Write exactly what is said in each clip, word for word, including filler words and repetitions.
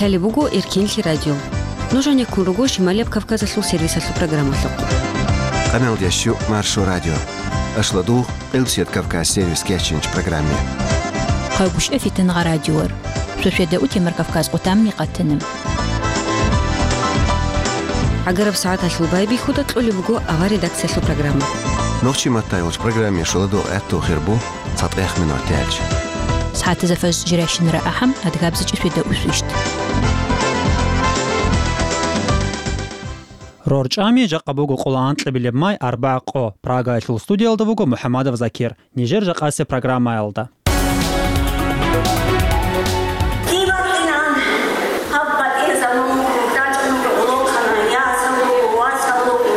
Лъалеб буго Эркенлъи радио. Нуж гьанеккун руго Шималияб Кавказалъул сервисалъул программалъухъ. Къаналдящу Маршо радио. Ашладугъ, Къилбсият Кавказ сервис кечинч программе. Хъайгушев Фитангъа радиор. Шошеда утемар Кавказ къутамни къатана. Агараб сагӀаталъул байбихьуда кьолеб буго авар редакциялъул программа. Нохчи маттайгъулч программе шуладугъ гӀатту хирбу. ЦатӀех минуталъ. СагӀатазда фаж жирайщинара ахӀам, адгабзичӀи свида усвищт. РорчӀами жакъа буго къоло анкьабилеб май, арбагӀ къо. Прагаялъул студиялда вуго МухӀамадов Закир. Нижер жакъасеб программаялда. Дибакъинан, гьаб батӀиязабун рачӀун гӀолохъана, ясал руго, васал руго.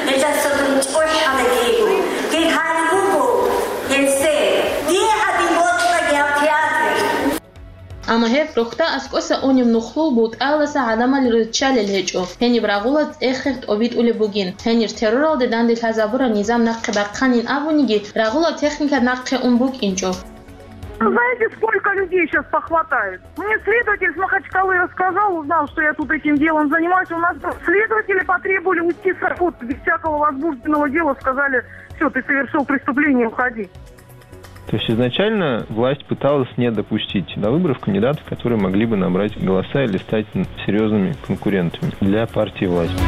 Гьелдаса дун чӀухӀалаги йиго. Гьеб гьари буго гьесде. Дие гьадин бокьаги гьаб театр. Амма гьеб рохьда аскӀоса унеб нухлул бутӀаялдаса гӀадамал риччалел гьечӀо, гьениб рагъула цӀех-хех тӀобитӀулеб бугин, гьенир терроралде данде лъазабураб низам нахъе бахъанин абуниги, рагъулаб техника нахъе ун букӀинчӀо. Знаете, сколько людей сейчас похватает? Мне следователь с Махачкалы рассказал, узнал, что я тут этим делом занимаюсь. У нас следователи потребовали уйти с работы без всякого возбужденного дела, сказали: «Всё, ты совершил преступление, уходи». То есть изначально власть пыталась не допустить до выборов кандидатов, которые могли бы набрать голоса или стать серьёзными конкурентами для партии власти.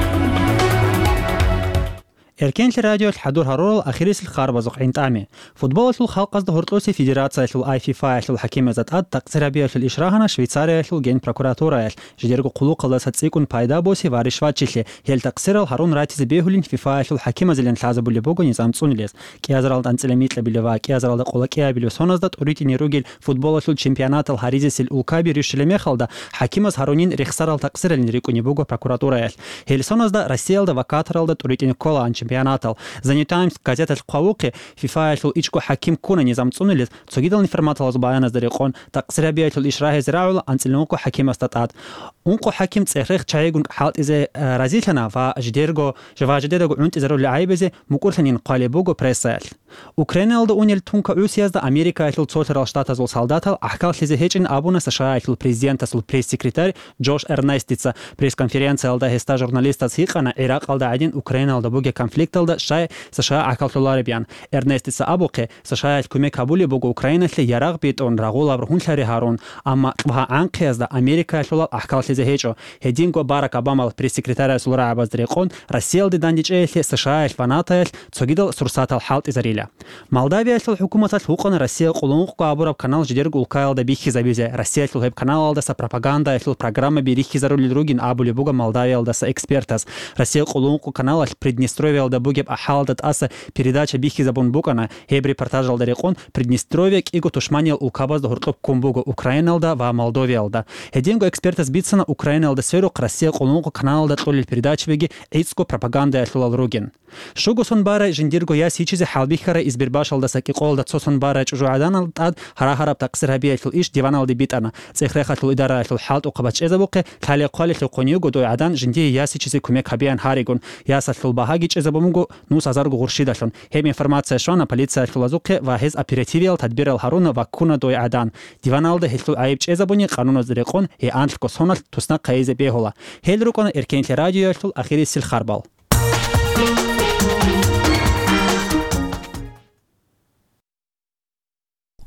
Эркенлъи радиолъ хӀадур гьарурал ахирисел харбазухъ гӀинтӀами. Футболалъул халкъазда гьоркьосе федерациялъул ай фифаялъул хӀакимазда тӀад такъсир гьабиялъул иш рагьана Швейцариялъул генпрокуратураялъ, жидерго хъулухъалдаса цӀикӀкӀун пайда босе ва ришватчилъи, гьел такъсирал гьарун ратизе бегьулин фифаялъул хӀакимазилан лъазабулеб буго низам цӀунилез. КӀиазаралда анцӀила микьабилев ва кӀиазаралда къоло кӀиабилев соназда тӀуритӀине ругел футболалъул чемпионатал гьаризесел улкаби рищулеб мехалда, хӀакимаз гьарунин рехсарал такъсиралин рикӀкӀунеб буго прокуратураялъ. Гьел соназда Россиялда ва Катаралда тӀуритӀине кколаан чемпионатал. The New Times газеталъ хъвавухъе, фифаялъул ичӀго хӀаким ккуна низам цӀунилез, цогидал информаторалъул баяназда рекъон, такъсир гьабиялъул иш рагьизе рагӀула анцӀила ункъо хӀакимасда тӀад. Ункъо хӀаким цӀех-рех чагӀигун хӀалтӀизе, э, разилъана ва жидерго, ва жидедаго гӀунтӀизарулел гӀайибазе мукӀурлъанин хъвалеб буго прессаялъ. Украинаялда унел тункагӀусиязда Америкаялъул цолъарал штатазул солдатал гӀахьаллъизе гьечӀин абуна СШАялъул президентасул пресс-секретарь Джош Эрнестица. Пресс-конференциялда гьесда журналистаз гьикъана, ГӀиракъалда гӀадин Украинаялда бугеб конфликталда щай США гӀахьаллъулареб, ян. Эрнестица абухъе, СШАялъ кумек гьабулеб буго Украиналъе ярагъ битӀун, рагъулаб ругьунлъари гьарун, амма кьвагьа гӀанхъиязда Америкаялъулал гӀахьаллъизе гьечӀо. Гьединго Барак Обамал пресс-секретарасул рагӀабазда рекъон, Россиялде дандечӀеялъе СШАялъ ва НАТОялъ цогидал сурсатал хӀалтӀизарила. Молдавиялъул хӀукуматалъ вукъана Россия къулункъго абураб канал жидерго улкаялда бихьизабизе, Россиялъул гьеб каналалдаса пропагандаялъул программаби рихьизарулел ругин абулеб буго Молдавиялдаса экспертаз. Россия къулункъго каналалъ Приднестровьялда бугеб ахӀалалда тӀаса передача бихьизабун букӀана, гьеб репортажалда рекъон Приднестровья кӀиго тушманиял улкабазда гьоркьоб ккун буго, Украиналда ва Молдовиялда. Гьединго экспертаз бицана, Украиналда сверухъ Россия къулункъго каналалда кьолел передачабиги гӀицӀго пропагандаялъулал ругин. Щуго сон барай жиндирго яс йичизе хӀалбихьарай Избербашалдаса кӀикъоялда цо сон барай чӀужугӀаданалда тӀад гьарагьараб такъсир гьабиялъул иш диваналде битӀана. ЦӀех-рехалъул идараялъул хӀалтӀухъабаз чӀезабухъе, лъалеб хъвалелъухъун йиго дой гӀадан жиндие яс йичизе кумек гьабеян гьаригун. Ясалъул багьаги чӀезабун буго нус азарго гъурщидалъун. Гьеб информация щвана полициялъулазухъе ва гьез оперативиял тадбирал гьаруна ва ккуна дой гӀадан. Диваналда гьелъул гӀайиб чӀезабуни, къануналда рекъон гьей анлъго соналъ туснахъ гьайизе бегьула. Гьел рукӀана Эркенлъи радиоялъул ахирисел харбал.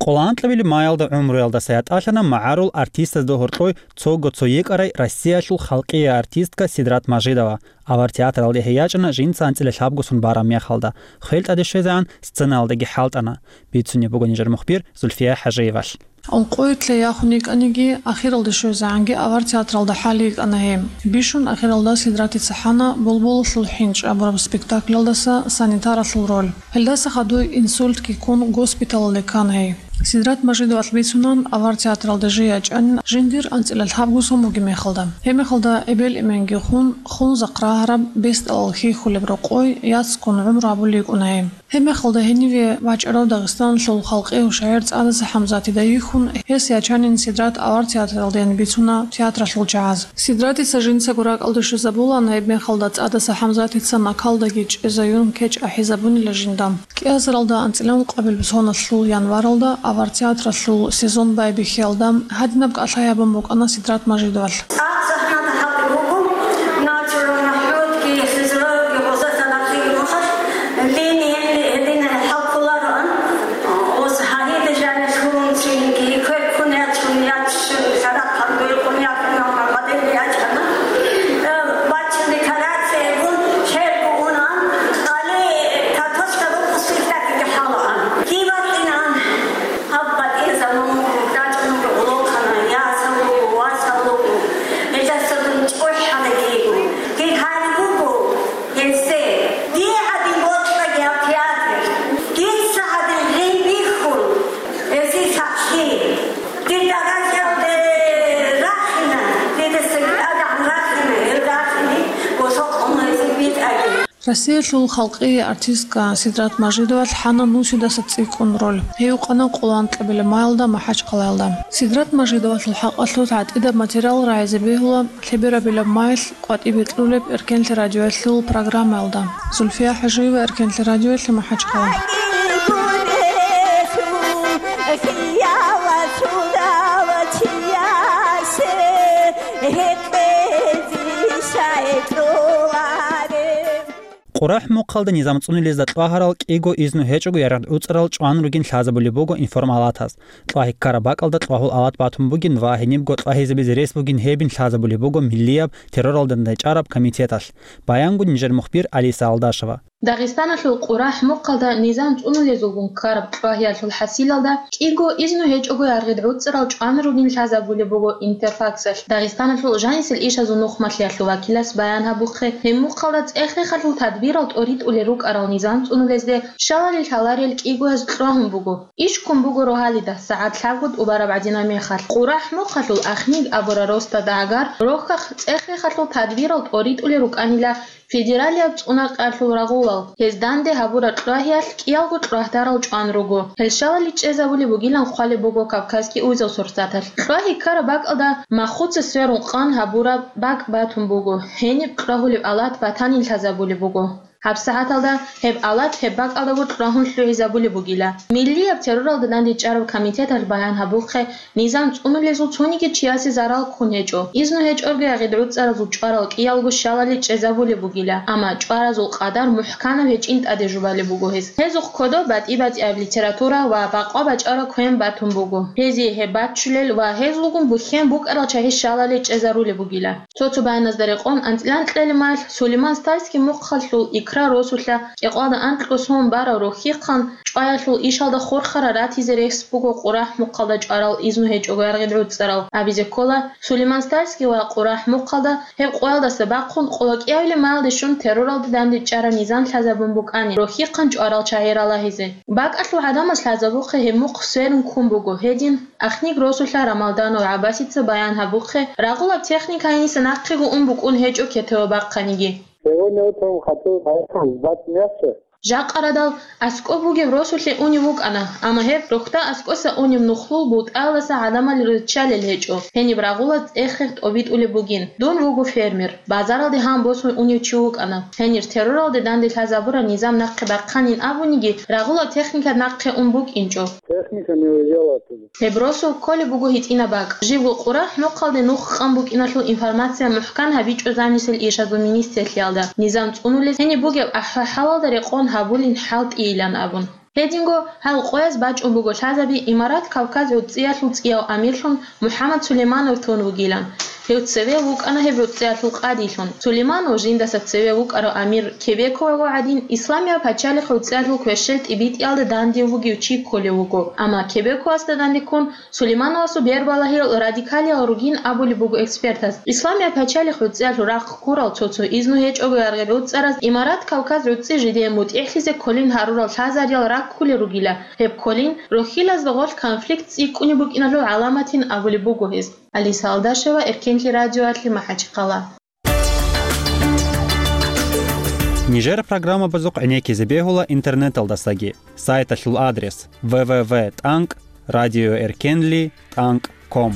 Къоло анкьабилеб маялда гӀумруялдаса ятӀалъана магӀарул артистазда гьоркьой цого цо йикӀарай Россиялъул халкъияй артистка Сидрат Мажидова. Авар театралде гьей ячӀана жинца анцӀила лъабго сон бараб мехалда. Хвел тӀаде щвезегӀан сценалдаги хӀалтӀана. Бицунеб буго нижер мухбир Зульфия ХӀажиевалъ. Ункъоялъе яхун йикӀаниги, ахиралде щвезегӀанги авар театралда хӀал йикӀана гьей. Бищун ахиралда Сидратица хӀана «Булбулалъул хӀинчӀ» абураб спектакльалдаса санитаралъул роль. Гьелдаса хадуй инсультги ккун госпиталалде ккана гьей. Сидрат Мажидовалъ бицунан, авар театралда жий ячӀанин жиндир анцӀила лъабго сон бугеб мехалда. Гьеб мехалда эбел-эменги хун, хунзахъ рагьараб, бесдалал хьихьулеб рокъой, яцгун гӀумру гьабулей йикӀуна гьей. Гьебмехалда гьениве вачӀарав Дагъистаналъул халкъияв шагӀир ЦӀадаса ХӀамзатида йихьун, гьес ячанин Сидрат авар театралдейин бицуна театралъул чагӀаз. Сидратица жинцаго ракӀалде щвезабулаан, гьебмехалда ЦӀадаса ХӀамзатица накалдаги чӀезаюн кечӀ ахӀизабунила жинда. КӀиазаралда анцӀила ункъабилеб соналъул январалда авар театралъул сезон байбихьиялда гьадинаб кӀалъай гьабун букӀана Сидрат Мажидовалъ. ЦӀакъ загьнада гьабулеб буго, Начура МахӀмудги, Хизралги, гъоза санахъе рухъалъ, линиялъе гьедин хӀалкулароан. Гъоз гьагьида жанир лъугьунцинги, квер ккун ячун, ячун, шарахъ гьаргвейкъун яхъуна, гьарбадел ячана. Э, бачун декорациягун, черго унан, къали картошка рукъусилъаги хӀалаан. КибатӀинан, гьаб батӀиязабун рачӀун гъолохъана, ясал руго, васал руго. Гьелдаса дун чӀухӀана киго. Кир гьари буго. Гьесде, дие гьадин бокьаги гьаб театр, дица гьадин гъин бихьун, гьесие сахлъи. Дир даражаялде рахина, дидасаги тӀадегӀан рахина, гьел рахине, госокъун гьезие битӀаги. Россиялъул халкъие артистка Сидрат Мажидовалъ хӀана нусидаса цӀикӀкӀун роль. Гьев къана къоло анкьабилеб маялда МахӀачхъалаялда. Сидрат Мажидовалъул хӀакъалъулъ гӀатӀидаб материал рагӀизе бегьула лъеберабилеб маялъ къватӀибе кьулеб Эркенлъи радиоялъул программаялда. Зульфия ХӀажиева, Эркенлъи радиоялъ, МахӀачхъала. КъурахӀ мухъалда низам цӀунулезда кьвагьарал кӀиго изну гьечӀого яргъи гӀуцӀарал чӀван ругин лъазабулеб буго информалатас. Кьвагьиккараб бакӀалда кьвагьул алат батун бугин ва гьенибго кьвагьизабизе рес бугин гьебин лъазабулеб буго миллияб терроралда дандчӀвараб комитеталъ, баянгун нижер мухбир Алиса Алдашева. Дагъистаналъул КъурахӀ мухъалда низам цӀунулезулгун ккараб кьвагьиялъул хӀасилалда кӀиго изну гьечӀого яргъи гӀуцӀарал чӀван ругин лъазабулеб буго Интерфаксалъ Дагъистаналъул жанисел ишазул нухмалъиялъул вакилас баян гьабухъе, гьеб мухъалда цӀех-хехалъул тадбирал тӀоритӀулел рукӀарал низам цӀунулезде щалалил лъаларел кӀигояз кьвагьун буго. Иш ккун буго рогьалида, сагӀат лъабго тӀубараб гӀадинаб мехалъ. КъурахӀ мухъалъул Ахниг абурал росдада гӀагар рохьахъ цӀех-хехалъул тадбирал тӀоритӀулел рукӀанила федералияб цӀунакъалъул рагъулал. Гьез данде гьабураб кьвагьиялъ кӀиялго кьвагьдарал чӀван руго. Гьел щалалил чӀезабулеб бугилан хъвалеб буго Кавказский узел сурсаталъ. Кьвагьи ккараб бакӀалда махуца сверун къан гьабураб бакӀ батун буго, гьениб кьвагьулеб алат батанин лъазабулеб буго. ГьабсагӀаталда гьеб алат гьеб бакӀалдаго кьвагьун лъугӀизабулеб бугила. Миллияб терроралда дандчӀвараб комитеталъ баян гьабухъе, низам цӀунулезул цониги чиясе зарал ккун гьечӀо. Изну гьечӀого яргъи гӀуцӀаразул чӀварал кӀиялго щалалил чӀезабулеб бугила, амма чӀваразул къадар мухӀканаб гьечӀин тӀаде жубалеб буго гьез. Гьезухъ кодоб батӀи-батӀияб литература ва бакъва бачӀараб квен батун буго. Гьезие гьеб баччулел ва гьезулгун бухьен букӀарал чагьи щалалил чӀезарулеб бугила. Цо-цо баяназда рекъон, анцӀила анкьабилеб маялъ Сулейман-Стальский мухъалъул Икра росулъа кӀикъоялда анкьго сон барав рохьихъан чӀваялъул ишалда хурхарал ратизе рес буго КъурахӀ мухъалда чӀварал изну гьечӀого яргъи гӀуцӀарал. Абизе ккола, Сулейман-Стальский ва КъурахӀ мухъалда гьеб къоялдаса бахъун къоло кӀиабилеб маялде щун терроралда дандчӀвараб низам лъазабун букӀани, рохьихъан чӀварал чагьи ралагьизе. БакӀалъул гӀадамаз лъазабухъе гьеб мухъ сверун ккун буго гьедин. Ахниг росулъа Рамалданов ГӀаббасица баян гьабухъе, рагъулаб техника гьениса нахъего ун букӀун гьечӀо кетеве бахъаниги. Сегодня утром хотел поехать сдать мясо. Жакъа радал аскӀоб бугеб росулъе унев вукӀана, амма гьеб рохьда аскӀоса унеб нухлул бултӀаялдаса гӀадамал риччалел гьечӀо, гьениб рагъулаз цӀех-хех тӀобитӀулеб бугин. Дун вуго фермер. Базаралде гьан босун унев чи вукӀана. Гьенир терроралде данде лъазабураб низам нахъе бахъанин абуниги, рагъулаб техника нахъе ун букӀинчӀо. Техника не уезжала оттуда. Гьеб росу кколеб буго гьитӀинаб бакӀ. Живго КъурахӀ мухъалде нух къан букӀиналъул информация мухӀкан гьабичӀо замисел ишазул министрлъиялда, низам цӀунулес гьениб бугеб ахӀа-хӀалалда рекъон гьабулин хӀалтӀийилан абун. Гьединго гьал къояз бачӀун буго лъазаби Имарат Кавказ гӀуцӀиялъул цӀияв амирлъун МухӀаммад Сулейманов тун вугилан. Гьев цеве вукӀана гьеб гӀуцӀиялъул къадилъун. Сулейманов жиндаса цеве вукӀарав амир Кебековаго гӀадин, Исламияб пачалихъ гӀуцӀиялъул квешел тӀибитӀиялда дандив вугев чи кколев вуго. Амма Кебековасда дандеккун Сулеймановасул бербалагьиял радикалиял ругин абулеб буго экспертаз. Исламияб пачалихъ гӀуцӀиялъул рахъ ккурал цо-цо изну гьечӀого яргъи гӀуцӀараз Имарат Кавказ гӀуцӀи жидее мутӀигӀлъизе кколин гьарурал лъазариял раккулел ругила. Гьеб кколин рохьилазда гъорлъ конфликт цӀикӀкӀунеб букӀиналъул гӀаламатин абулеб буго гьез. Алиса Алдашева, Эркенлъи радиоялъе, МахӀачхъала. Нижер программабазухъ гӀенеккизе бегьула интернеталдасаги. Сайталъул адрес: в в в тӀанкӀ радиоэркенли тӀанкӀ ком.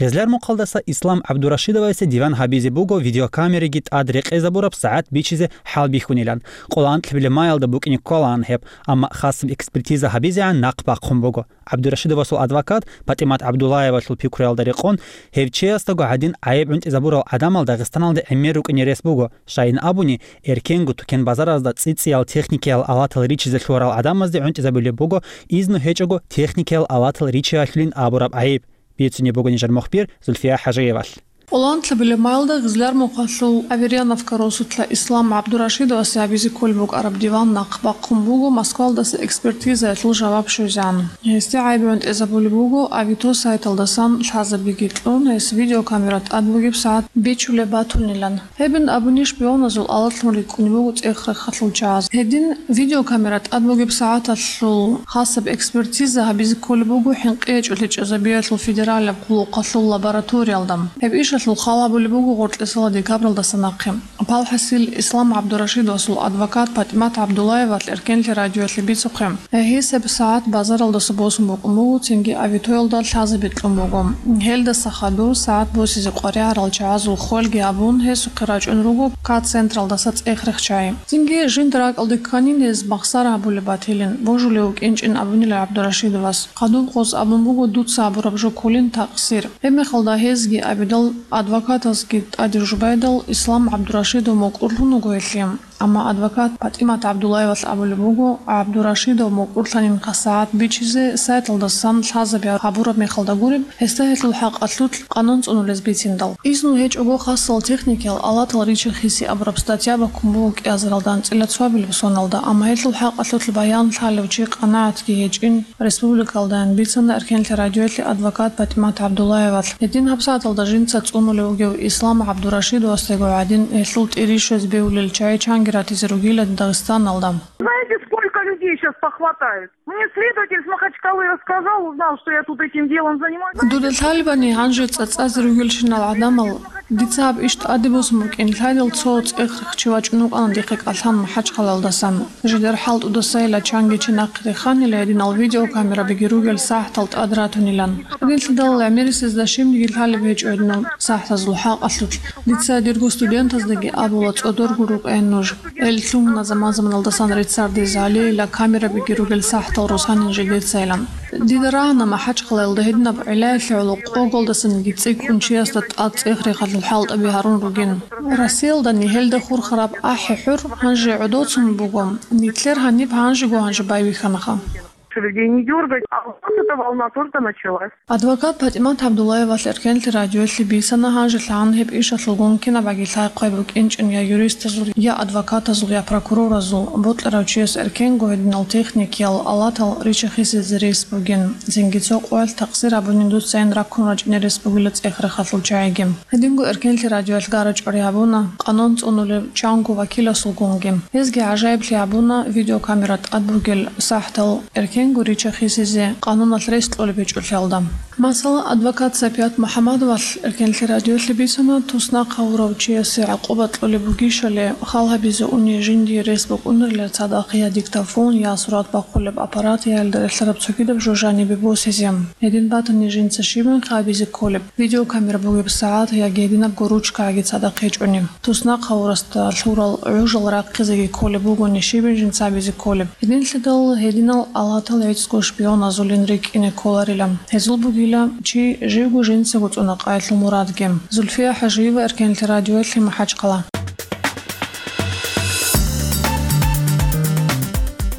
Гъезлярмухъалдаса Ислам ГӀабдурашидовасе диван гьабизе буго видеокамераги тӀад рекъезабураб сагӀат бичизе хӀалбихьунилан. Къоло анкьлъабилеб майалда букӀине кколаан гьеб, амма хасаб экспертиза гьабизегӀан нахъ бахъун буго. ГӀабдурашидовасул адвокат ПатӀимат ГӀабдуллаевалъул пикруялда рекъон, гьев чиясдаго гӀадин гӀайиб гӀунтӀизабурал гӀадамал Дагъистаналде гӀемер рукӀине рес буго, щайин абуни, эркенго тукен-базаразда цӀи-цӀиял техникиял алатал ричизе лъугьарал гӀадамазде гӀунтӀизабулеб буго изну гьечӀого техникиял алатал ричиялъулин абураб гӀайиб, бицунеб буго нижер мухбир Зульфия ХӀажиевалъ. Къоло анкьлъабилеб майалда Гъезлярмухъалъул Аверьяновка росулъа Ислам ГӀабдурашидовасе гьабизе кколеб букӀараб диван нахъ бахъун буго Москвалдаса экспертизаялъул жаваб щвезегӀан. Гьесде гӀайиб гӀунтӀизабулеб буго Авито сайталдасан лъазабиги кьун, гьес видеокамера тӀад бугеб сагӀат бичулеб батунилан. Гьебин абуни шпионазул алатлъун рикӀкӀунеб буго цӀех-рехалъул чагӀаз. Гьедин видеокамера тӀад бугеб сагӀаталъул хасаб экспертиза гьабизе кколеб буго ХӀинкъичӀолъи чӀезабиялъул федералияб къуллукъалъул лабораториялда. Гьеб ишалъул хал гьабулеб буго гъоркьисала декабралдаса нахъе. Палхасил Ислам ГӀабдурашидовасул адвокат ПатӀимат ГӀабдуллаевалъ эркенлъи радиоялъе бицухъе, гьес гьеб сагӀат базаралдаса босун букӀун буго, цинги авитоялда лъазаби кьун буго. Гьелдаса хадур сагӀат босизе къваригӀарал чагӀазул хвелги абун, гьесухъе рачӀун руго К-централдаса цӀех-рех чагӀи. Цинги жинда ракӀалде кканин гьез махсар гьабулеб батилин, божулев вукӀинчӀин абунила ГӀабдурашидовас. Хадуб гъос абун буго дуца гьабураб жо кколин такъсир. Гьебмехалда гьезги абидал, адвокатазги тӀаде жубайдал, Ислам ГӀабдурашидов мукӀурлъун вуго гьелъие. Амма адвокат ПатӀимат ГӀабдуллаевалъ абулеб буго, ГӀабдурашидов мукӀурлъанин хъасагӀат бичизе сайталдасан лъазаби гьабураб мехалда гуреб, гьесда гьелъул хӀакъалъулъ къанун цӀунулез бициндал. Изну гьечӀого хасал техникиял алатал ричи-хиси абураб статья баккун буго кӀиазаралда анцӀила цоабилеб соналда, амма гьелъул хӀакъалъулъ баян лъалев чи къанагӀатги гьечӀин, республикалдайин бицана эркенлъи радиоялъе адвокат ПатӀимат ГӀабдуллаевалъ. Гьедин гьабсагӀаталда жинца цӀунулев вугев Ислам ГӀабдурашидовасдаго гӀадин, гьелъул тӀирищозе бегьулел чагӀи чанги ратизе ругила Дагъистаналда. Знаете, сколько людей сейчас похватают? Мне следователь с Махачкалы рассказал, узнал, что я тут этим делом занимаюсь. Дуда лъалебани гьанже цӀацӀазе ругелщинал гӀадамал, дица гьаб иш тӀаде босун букӀин лъайдал, цо цӀех-рех чи вачӀун вукӀана дихъе кӀалъан МахӀачхъалаялдасан. Жидер хӀалтӀудасайила чанги чи нахъе реханила, гьединал видеокамерабиги ругел сахӀатал тӀад ратунилан. Гьединлъидал гӀемерисезда щибниги лъалеб гьечӀо гьединал сахӀатазул хӀакъалъулъ. Дица дирго студентаздаги абула, цӀодорго рукӀе нуж. Эл лъугьуна заман-заманалдасан реццардезе гьалейила, камерабиги ругел сахӀатал росанин жидецайилан. Дида рагӀана МахӀачхъалаялда гьединаб гӀиллаялъе гӀоло къоголдасаниги цӀикӀкӀун чиясда тӀад цӀех-рехалъул хӀалтӀаби гьарун ругин. Россиялдани гьелда хурхараб ахӀи-хӀур гьанже гӀодоцун буго, нилъер гьаниб гьанжего гьанже байбихьанаха. Людей не дёргать, а вот эта волна только началась. Адвокат ПатӀимат ГӀабдуллаевалъ эркенлъи радиоялъе бицана гьанжелъагӀан гьеб ишалъулгун кинабаги лъай-хъвай букӀинчӀин я юристазул, я адвокатазул, я прокуроразул, бокьарав чияс эркенго гьединал техникиял алатал ричи-хисизе рес бугин, цинги цо къоялъ такъсир гьабунин дуцайин раккун рачӀине рес бугила цӀех-рехалъул чагӀиги. Гьединго эркенлъи радиоялъ гара-чӀвари гьабуна къанун цӀунулев чанго вакиласулгунги. Гьезги гӀажаиблъи гьабуна видеокамера тӀад бугел сахӀатал эркенго ричи-хисизе къануналъ рес кьолеб гьечӀолъиялда. Масала, адвокат Сапият МухӀаммадовалъ эркенлъи радиоялъе бицана, туснахъ гьавурав чиясе гӀакъуба кьолеб бугищали, хал гьабизе уни жиндие рес букӀунарила цадахъ я диктофон, я сурат бахъулеб аппарат, я гьелда релълъараб цогидаб жо жанибе босизе. Гьедин батани жинца щибин хабизе кколеб, видеокамера бугеб сагӀат яги гьединабго ручкаги цадахъ гьечӀони. Туснахъ гьавурасда лъурал гӀужал рахъизеги кколеб бугони щибин жинца абизе кколеб. Гьединлъидал гьединал алатал гӀицӀго шпионазулин рикӀкӀине кколарила. Гьезул бугила чи живго жинцаго цӀуна къайилъул мурадги. Зульфия ХӀажиева, эркенлъи радиоялъе, МахӀачхъала.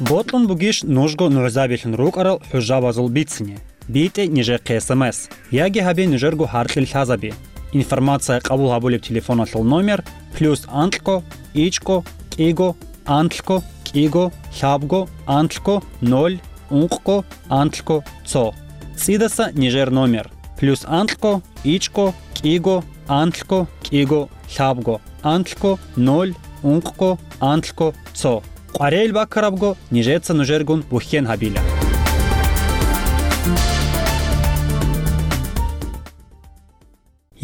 Бокьун бугищ нужго нугӀзабилъун рукӀарал хӀужабазул бицине? БитӀе нижехъе СМС, яги гьабе нужерго гьаркьил лъазаби. Информация къабул гьабулеб телефоналъул номер: плюс анкьго, ичӀго, кӀиго, анлъго, кӀиго, лъабго, анлъго, ноль, ункъго, анлъго, цо. ЦӀидаса нижер номер: плюс анкьго, ичӀго, кӀиго, анлъго, кӀиго, лъабго, анлъго, ноль, ункъго, анлъго, цо. Къваригьел баккарабго нижеца нужергун бухьен гьабила.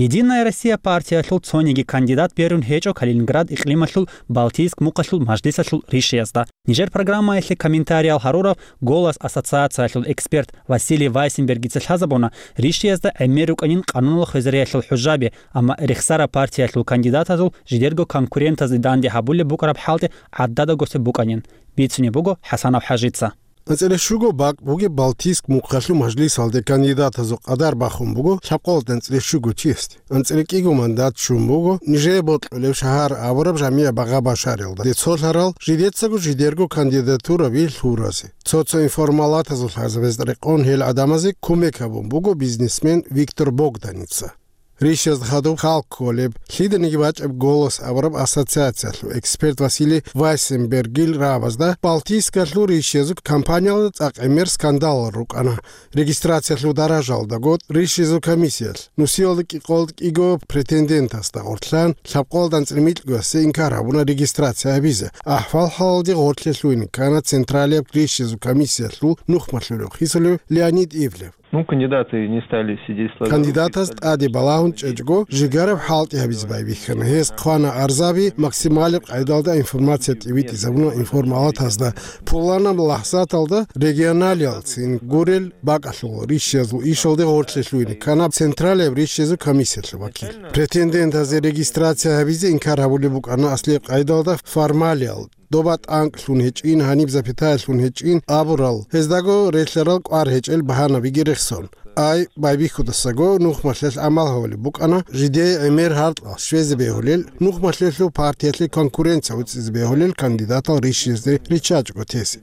«Единая Россия» партиялъул цониги кандидат берун гьечӀо Калининград икълималъул Балтийск мухъалъул мажлисалъул ришиязда. Нижер программаялъе комментариял гьарурав «Голос» ассоциациялъул эксперт Василий Вайсенбергица лъазабуна, ришиязда гӀемер рукӀанин къануналъ хвезариялъул хӀужаби, амма рехсараб партиялъул кандидатазул жидерго конкурентазде данде гьабулеб букӀараб хӀалтӀи гӀададагосеб букӀанин. Бицунеб буго ХӀасанов ХӀажица. АнцӀила щуго бакӀ бугеб Балтийск мухъалъул мажлисалде кандидатазул къадар бахун буго лъабкъоялда анцӀила щуго чиясде. АнцӀила кӀиго мандат щун буго нижее бокьулеб шагьар абураб жамигӀ Багъа-Башариялда. Цолъарал жидецаго жидерго кандидатураби лъуразе. Цо-цо информалатазул лъазабазда рекъон гьел гӀадамазе кумек гьабун буго бизнесмен Виктор Богданица. Ришиязда хадуб хал кколеб, лъиданиги бачӀеб «Голос» абураб ассоциациялъул эксперт Василий Вайсенбергил рагӀабазда Балтийскалъул ришиязул компаниялда цӀакъ гӀемер скандалал рукӀана. Регистрациялъул даражалдаго ришиязул комиссиялъ нусиялда кӀикъоялда кӀиго претендентасда гъорлъан лъабкъоялда анцӀила микьгоясе инкар гьабуна регистрация гьабизе. АхӀвал-хӀалалде гъорлъе лъугьине ккана Централияб ришиязул комиссиялъул нухмалъулев хисулев Леонид Ивлев. Ну, кандидаты не стали сидеть сложа руки. Кандидатаз тӀаде балагьун чӀечӀого, жигараб хӀалтӀи гьабизе байбихьана. Гьес хъвана арзаби максималаб къайдалда информация тӀибитӀизабуна информалатазда. Пуланаб лахӀзаталда регионалиялцин гурел бакӀалъул ришиязул ишалде гъорлъе лъугьине ккана Централияб ришиязул комиссиялъул вакил. Претендентазе регистрация гьабизе инкар гьабулеб букӀана аслияб къайдалда формалиял. Доба тӀанкӀ лъун гьечӀин, гьаниб запятая лъун гьечӀин абурал, гьездаго релълъарал кӀвар гьечӀел багьанабиги рехсон. Ай байбихьудасаго нухмалъелъ гӀамал гьавулеб букӀана, жидее гӀемер гьаркьал щвезе бегьулел, нухмалъелъул партиялъе конкуренция уцӀизе бегьулел кандидатал ришиязде риччачӀого тесе.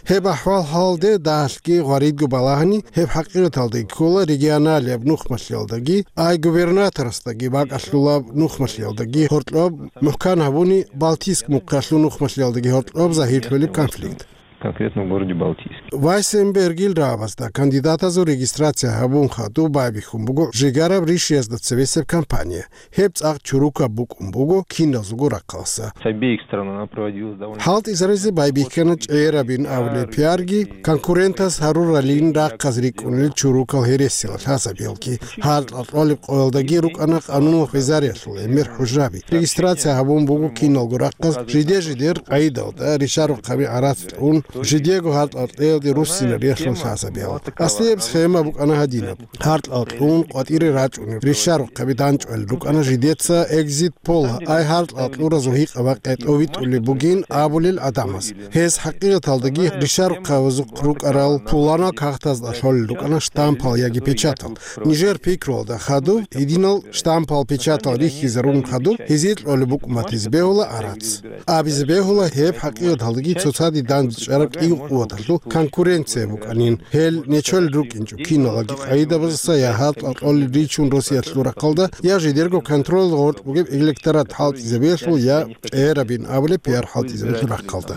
Гьеб ахӀвал-хӀалалде дагьалъги гъваридго балагьани, гьеб хӀакъикъаталдаги ккола регионалияб нухмалъиялдаги, ай губернаторасдаги бакӀалъулаб нухмалъиялдаги гьоркьоб мухӀкан гьабуни, Балтийск мухъалъул нухмалъиялдаги гьоркьоб загьирлъулеб конфликт. Конкретно в городе Балтийске. Вайсенбергил рагӀабазда кандидатазул регистрация гьабун хадуб байбихьун буго жигараб ришиязда цебесеб компания. Гьеб цӀакъ чурукаб букӀун буго киназулго рахъалъа. С обеих сторон она проводилась довольно... ХӀалтӀизаризе байбихьана чӀегӀерабин абулеб пиарги, конкурентас гьаруралин рахъаз рикӀкӀунел чурукал гьересиял лъазабиялги, гьаркьа кьолеб къоялдаги рукӀана къануналъ хвезариялъул гӀемер хӀужаби. Регистрация гьабун буго киналго рахъаз жиде-жидер къайдалда ришарухъаби гӀарац кьун, жидего гьаркьа кьеялде руссинариялъул лъазабиял. Аслияб схема букӀана гьадинаб. Гьаркьал кьун къватӀире рачӀунеб ришарухъаби данчӀвал рукӀана жидеца экзит-пол, ай гьаркьал кьуразул гьикъаба къетӀовитӀулеб бугин абулел гӀадамаз. Гьез хӀакъикъаталдаги ришарухъабазухъ рукӀарал пуланал кагътазда лъолел рукӀана штампал яги печатал. Нижер пикруялда хадуб гьединал штампал печатал рихьизарун хадуб гьезие кьолеб букӀун батизе бегьула гӀарац. Абизе бегьула гьеб хӀакъикъаталдаги цоцаде дандчӀараб кӀиго къуваталъул конкуренция букӀанин. Гьел нечолел рукӀинчӀо киналаги къайдабазаса я гьаркьа кьолел ричун Россиялъул рахъалда, я жидерго контроль гъоркь бугеб электорат хӀалтӀизабиялъул, я чӀегӀерабин абулеб пиар хӀалтӀизабиялъул рахъалда.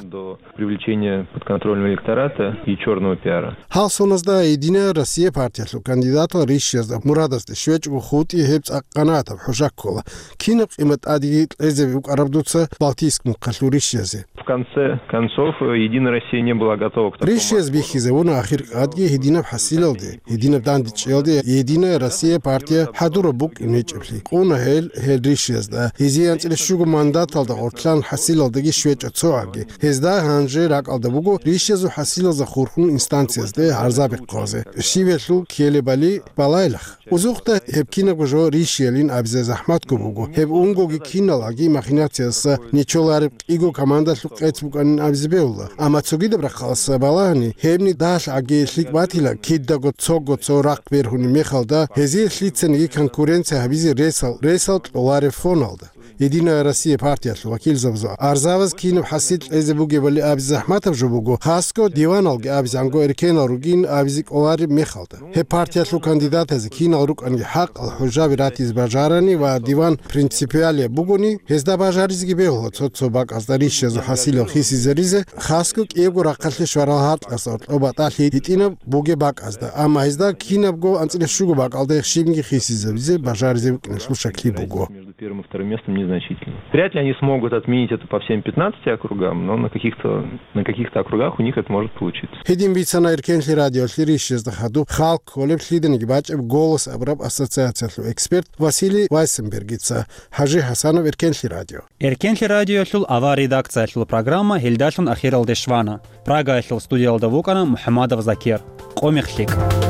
Привлечение подконтрольного электората и чёрного пиара. Гьал соназда «Единая Россия» партиялъул кандидатал ришиязда мурадасде щвечӀого хутӀи гьеб цӀакъ къанагӀатаб хӀужа ккола. Кинаб къимат тӀадеги кьезе букӀараб дуца Балтийск мухъалъул ришиязе? В конце концов, э, «Единая Россия» не была готова к такому... Ришияз бихьизавуна ахир къадги гьединаб хӀасилалде, гьединаб дандчӀиялде «Единая Россия» партия хӀадураб букӀин гьечӀеблъи. Къуна гьел, гьел ришиязда, гьезие анцӀила щуго мандаталда гъоркьлъан хӀасилалдаги щвечӀо цогӀабги. Гьезда гьанже ракӀалда буго ришиязул хӀасилалза хурхун инстанциязде гӀарзаби хъвазе. Щибелъул ккелебали балайлах. Узухъда гьеб кинабго жо ришиялин абизе захӀматго буго. Гьеб унгоги киналаги махинациялдаса нечолареб кӀиго командалъул къец букӀанин абизе бегьула. Амма цогидаб рахъалдаса балагьани, гьебни дагьалъаги лъикӀ батила, кидаго цого цо рахъ бергьунеб мехалда, гьезие лъицаниги конкуренция гьабизе ресал, ресал кьолареб фоналда. «Единая Россия» партиялъул вакилзабазул арзабаз кинаб хӀасил кьезе бугебали абизе захӀматаб жо буго, хасго диваналги абизанго эркенал ругин абизе кӀолареб мехалда. Гьеб партиялъул кандидатазе кинал рукӀанги хӀакъал хӀужаби ратизе бажарани ва диван принципиалияб бугони, гьезда бажаризеги бегьула цо-цо бакӀазда ришиязул хӀасилал хисизаризе, хасго кӀиябго рахъалъе щварал гьаркьасда гьоркьоб батӀалъи гьитӀинаб бугеб бакӀазда, амма гьезда кинабго анцӀила щуго бакӀалда щибниги хисизабизе бажаризе букӀиналъул шаклъи буго. Первым и вторым местом незначительно. Вряд ли они смогут отменить это по всем пятнадцати округам, но на каких-то на каких-то округах у них это может получиться. Гьедин бицана Эркенлъи радиолъе рищезда хадуб халкъ кколеб лъиданиги бачӀеб «Голос» абураб ассоциациялъул эксперт Василий Вайсенбергица. Хажи Хасанов, Эркенлъи радио. Эркенлъи радиоялъул авар редакциялъул программа гьелдалъун ахиралде щвана. Прагаялъул студиялда вукӀана МухӀамадов Закир. Къо мех лъикӀ.